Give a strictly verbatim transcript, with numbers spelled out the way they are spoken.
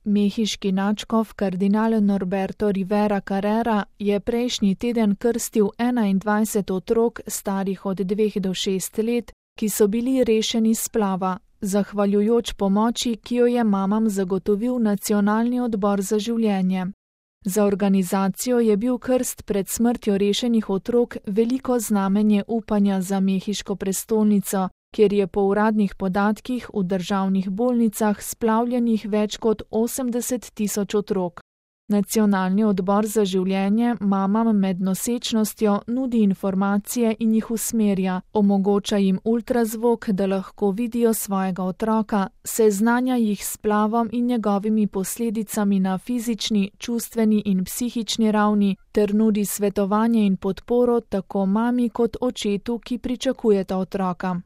Mehiški nadškof kardinal Norberto Rivera Carrera je prejšnji teden krstil enaindvajset otrok starih od dveh do šest let, ki so bili rešeni splava, zahvaljujoč pomoči, ki jo je mamam zagotovil Nacionalni odbor za življenje. Za organizacijo je bil krst pred smrtjo rešenih otrok veliko znamenje upanja za mehiško prestolnico, kjer je po uradnih podatkih v državnih bolnicah splavljenih več kot osemdeset tisoč otrok. Nacionalni odbor za življenje mamam med nosečnostjo nudi informacije in jih usmerja, omogoča jim ultrazvok, da lahko vidijo svojega otroka, seznanja jih s splavom in njegovimi posledicami na fizični, čustveni in psihični ravni ter nudi svetovanje in podporo tako mami kot očetu, ki pričakujeta otroka.